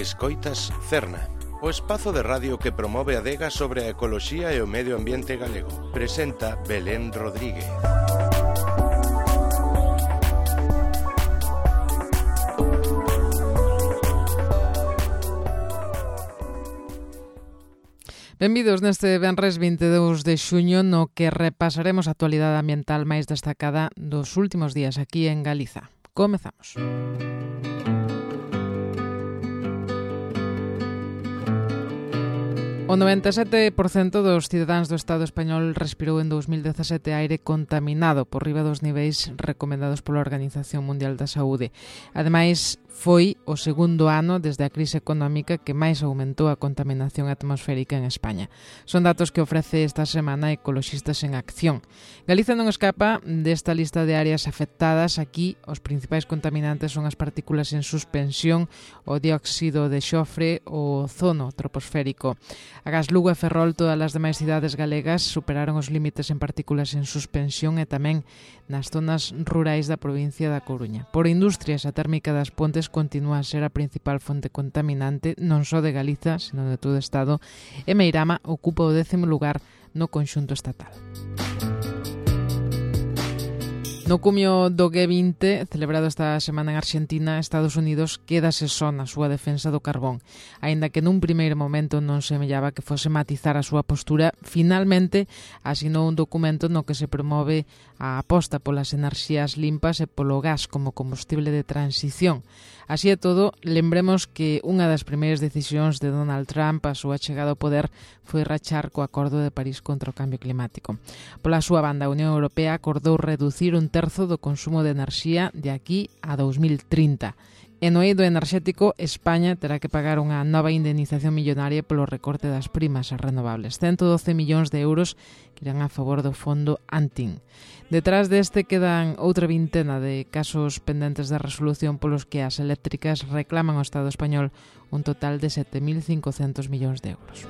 Escoitas Cerna, o espazo de radio que promove a adega sobre a ecoloxía e o medio ambiente galego. Presenta Belén Rodríguez. Benvidos neste venres 22 de xuño no que repasaremos a actualidade ambiental máis destacada dos últimos días aquí en Galiza. Comezamos. O 97% dos cidadáns do Estado español respirou en 2017 aire contaminado por riba dos niveis recomendados pola Organización Mundial da Saúde. Ademais, foi o segundo ano desde a crise económica que máis aumentou a contaminación atmosférica en España. Son datos que ofrece esta semana Ecoloxistas en Acción. Galiza non escapa desta lista de áreas afectadas. Aquí, os principais contaminantes son as partículas en suspensión, o dióxido de xofre, o ozono troposférico. Agás, Lugo e Ferrol, todas as demais cidades galegas superaron os límites en partículas en suspensión e tamén nas zonas rurais da provincia da Coruña. Por industrias, a térmica das Pontes continúa a ser a principal fonte contaminante non só de Galiza, senón de todo o Estado, e Meirama ocupa o 10º lugar no conxunto estatal. No cumio do G20, celebrado esta semana en Argentina, Estados Unidos quédase só na súa defensa do carbón. Aínda que nun primeiro momento non semellaba que fose matizar a súa postura, finalmente asinou un documento no que se promove a aposta polas enerxías limpas e polo gas como combustible de transición. Así e todo, lembremos que unha das primeiras decisións de Donald Trump a súa chegada ao poder foi rachar co Acordo de París contra o cambio climático. Pola súa banda, a Unión Europea acordou reducir un terzo do consumo de enerxía de aquí a 2030. E no eido enerxético, España terá que pagar unha nova indemnización millonaria polo recorte das primas ás renovables. 112 millóns de euros que irán a favor do fondo Antin. Detrás deste quedan outra vintena de casos pendentes de resolución polos que as eléctricas reclaman ao Estado español un total de 7.500 millóns de euros.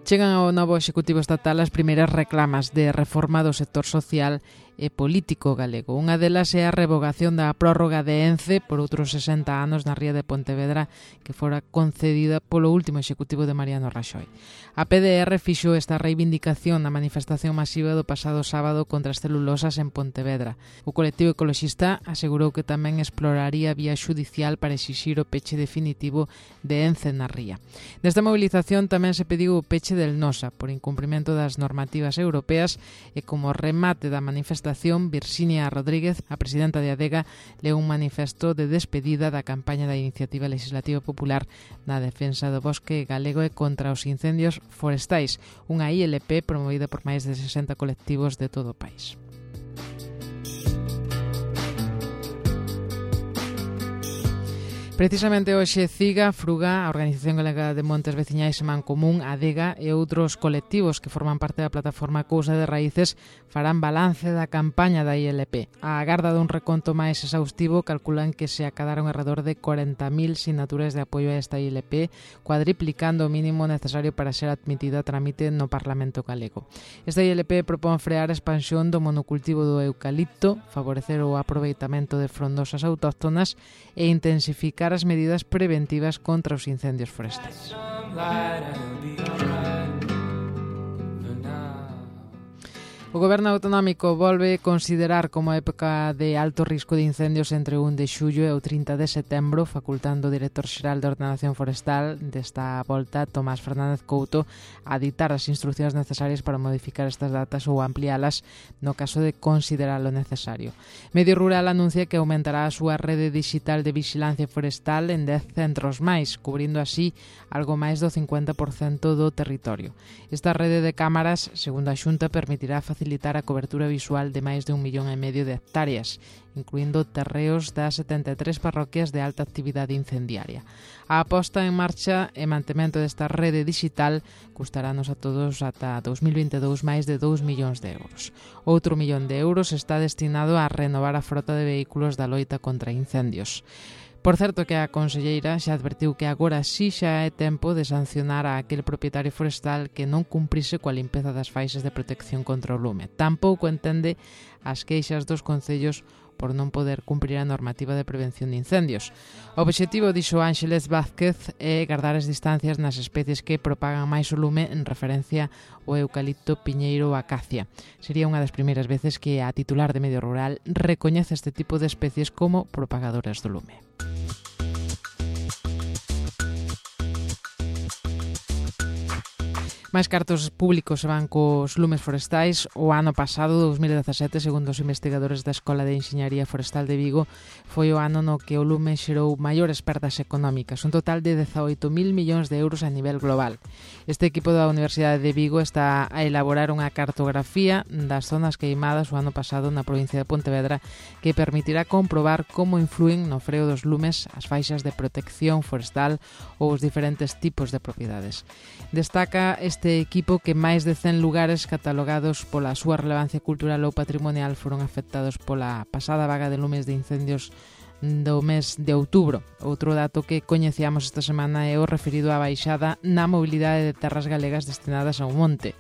Chegan ao novo Executivo Estatal as primeiras reclamas de reforma do sector social e político galego. Unha delas é a revogación da prórroga de ENCE por outros 60 anos na ría de Pontevedra que fora concedida polo último Executivo de Mariano Raxoi. A PDR fixo esta reivindicación na manifestación masiva do pasado sábado contra as celulosas en Pontevedra. O colectivo ecoloxista asegurou que tamén exploraría vía xudicial para exixir o peche definitivo de ENCE na ría. Nesta movilización tamén se pediu o peche del Nosa por incumprimento das normativas europeas e como remate da manifestación Virxinia Rodríguez, a presidenta de Adega, leu un manifesto de despedida da campaña da Iniciativa Legislativa Popular na defensa do bosque galego e contra os incendios forestais, unha ILP promovida por máis de 60 colectivos de todo o país. Precisamente hoxe CIGA, FRUGA, a Organización Galega de Montes Veciñais e Mancomún, Adega e outros colectivos que forman parte da plataforma Cousa de Raíces farán balance da campaña da ILP. A agarda dun reconto máis exhaustivo calculan que se acadaron alrededor de 40.000 sinaturas de apoio a esta ILP, cuadriplicando o mínimo necesario para ser admitida a trámite no Parlamento galego. Esta ILP propón frear a expansión do monocultivo do eucalipto, favorecer o aproveitamento de frondosas autóctonas e intensificar as medidas preventivas contra os incendios forestais. O Goberno Autonómico volve considerar como época de alto risco de incendios entre o 1 de xullo e o 30 de setembro, facultando o director xeral de Ordenación Forestal desta volta, Tomás Fernández Couto, a ditar as instruccións necesarias para modificar estas datas ou ampliálas no caso de consideralo necesario. Medio Rural anuncia que aumentará a súa rede digital de vigilancia forestal en 10 centros máis, cubrindo así algo máis do 50% do territorio. Esta rede de cámaras, segundo a Xunta, permitirá facilitar a cobertura visual de máis de 1,5 millón de hectáreas, incluindo terreos das 73 parroquias de alta actividade incendiaria. A aposta en marcha e mantemento desta rede digital custarános a todos ata 2022 máis de 2 millóns de euros. Outro 1 millón de euros está destinado a renovar a frota de vehículos da loita contra incendios. Por certo que a conselleira xa advertiu que agora sí xa é tempo de sancionar a aquel propietario forestal que non cumprise coa limpeza das faixas de protección contra o lume. Tampouco entende as queixas dos concellos por non poder cumprir a normativa de prevención de incendios. O obxectivo, dixo Ángeles Vázquez, é guardar as distancias nas especies que propagan máis o lume, en referencia ao eucalipto, piñeiro ou acacia. Sería unha das primeiras veces que a titular de Medio Rural recoñece este tipo de especies como propagadoras do lume. Máis cartos públicos se van cos lumes forestais. O ano pasado, 2017, segundo os investigadores da Escola de Enxeñaría Forestal de Vigo, foi o ano no que o lume xerou maiores perdas económicas, un total de 18.000 millóns de euros a nivel global. Este equipo da Universidade de Vigo está a elaborar unha cartografía das zonas queimadas o ano pasado na provincia de Pontevedra que permitirá comprobar como influen no freo dos lumes as faixas de protección forestal ou os diferentes tipos de propiedades. Destaca este equipo que máis de 100 lugares catalogados pola súa relevancia cultural ou patrimonial foron afectados pola pasada vaga de lumes de incendios do mes de outubro. Outro dato que coñecíamos esta semana é o referido á baixada na mobilidade de terras galegas destinadas ao monte.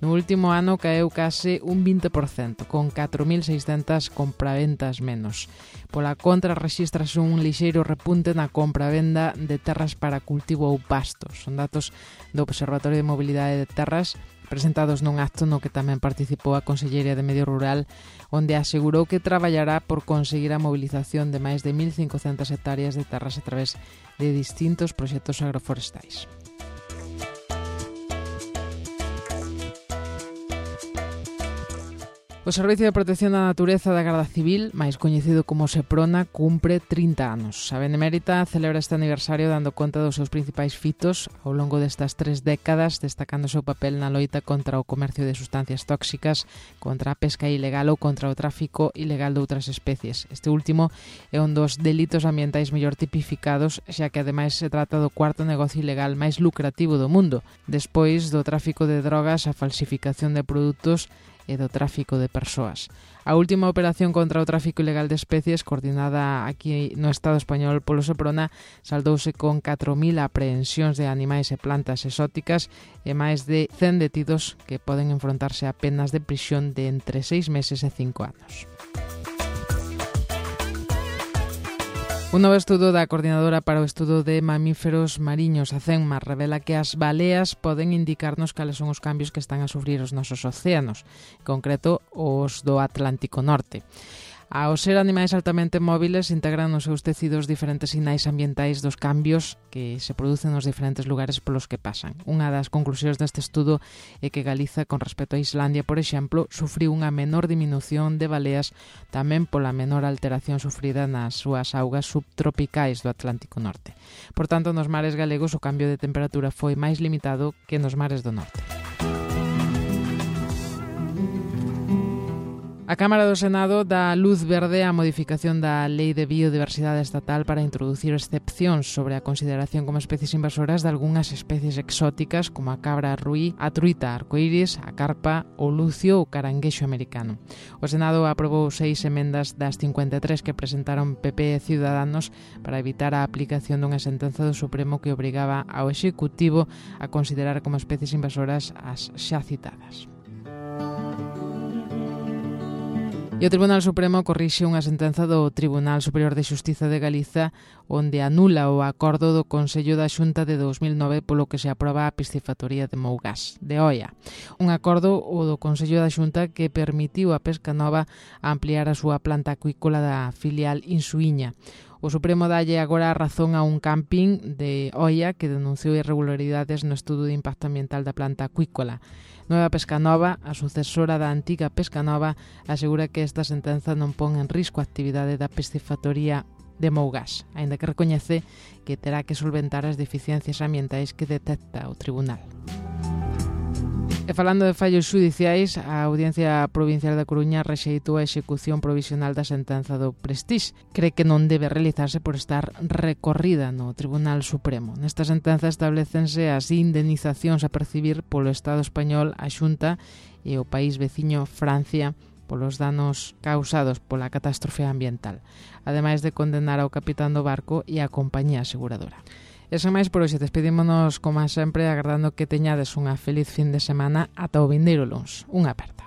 No último ano caeu case un 20%, con 4.600 compraventas menos. Pola contra, rexístrase un lixeiro repunte na compra-venda de terras para cultivo ou pastos. Son datos do Observatorio de Mobilidade de Terras, presentados nun acto no que tamén participou a Conselleira de Medio Rural, onde asegurou que traballará por conseguir a mobilización de máis de 1.500 hectáreas de terras a través de distintos proxectos agroforestais. O Servicio de Protección da Natureza da Garda Civil, máis coñecido como Seprona, cumpre 30 anos. A Benemérita celebra este aniversario dando conta dos seus principais fitos ao longo destas 3 décadas, destacando o seu papel na loita contra o comercio de sustancias tóxicas, contra a pesca ilegal ou contra o tráfico ilegal de outras especies. Este último é un dos delitos ambientais mellor tipificados, xa que ademais se trata do cuarto negocio ilegal máis lucrativo do mundo, despois do tráfico de drogas, a falsificación de produtos e do tráfico de persoas. A última operación contra o tráfico ilegal de especies, coordinada aquí no Estado español polo Seprona, saldouse con 4.000 aprehensións de animais e plantas exóticas e máis de 100 detidos que poden enfrontarse a penas de prisión de entre 6 meses e 5 anos. Un novo estudo da Coordinadora para o Estudo de Mamíferos Mariños, a CENMA, revela que as baleas poden indicarnos cales son os cambios que están a sufrir os nosos océanos, en concreto os do Atlántico Norte. Ao ser animais altamente móviles, integran nos seus tecidos diferentes sinais ambientais dos cambios que se producen nos diferentes lugares polos que pasan. Unha das conclusións deste estudo é que Galiza, con respecto a Islandia, por exemplo, sufriu unha menor diminución de baleas tamén pola menor alteración sufrida nas súas augas subtropicais do Atlántico Norte. Por tanto, nos mares galegos o cambio de temperatura foi máis limitado que nos mares do norte. A Cámara do Senado dá luz verde á modificación da Lei de Biodiversidade Estatal para introducir excepcións sobre a consideración como especies invasoras de algunhas especies exóticas como a cabra ruí, a truita arcoíris, a carpa, o lucio ou caranguexo americano. O Senado aprobou 6 emendas das 53 que presentaron PP e Ciudadanos para evitar a aplicación dunha sentenza do Supremo que obrigaba ao Executivo a considerar como especies invasoras as xa citadas. E o Tribunal Supremo corrixe unha sentenza do Tribunal Superior de Xustiza de Galiza onde anula o acordo do Consello da Xunta de 2009 polo que se aproba a piscifactoría de Mougás, de Oia. Un acordo o do Consello da Xunta que permitiu a Pescanova ampliar a súa planta acuícola da filial Insuíña. O Supremo dalle agora a razón a un camping de Oia que denunciou irregularidades no estudo de impacto ambiental da planta acuícola. Nueva Pescanova, a sucesora da antiga Pescanova, asegura que esta sentenza non pon en risco a actividade da piscifactoría de Mougás, aínda que recoñece que terá que solventar as deficiencias ambientais que detecta o tribunal. E falando de fallos xudiciais, a Audiencia Provincial da Coruña rexeitou a execución provisional da sentenza do Prestige. Cree que non debe realizarse por estar recorrida no Tribunal Supremo. Nesta sentenza establecense as indemnizacións a percibir polo Estado español, a Xunta e o país veciño Francia polos danos causados pola catástrofe ambiental, ademais de condenar ao capitán do barco e á compañía aseguradora. E sen máis por hoxe, despedímonos como sempre agardando que teñades unha feliz fin de semana ata o vindeiro luns. Unha aperta.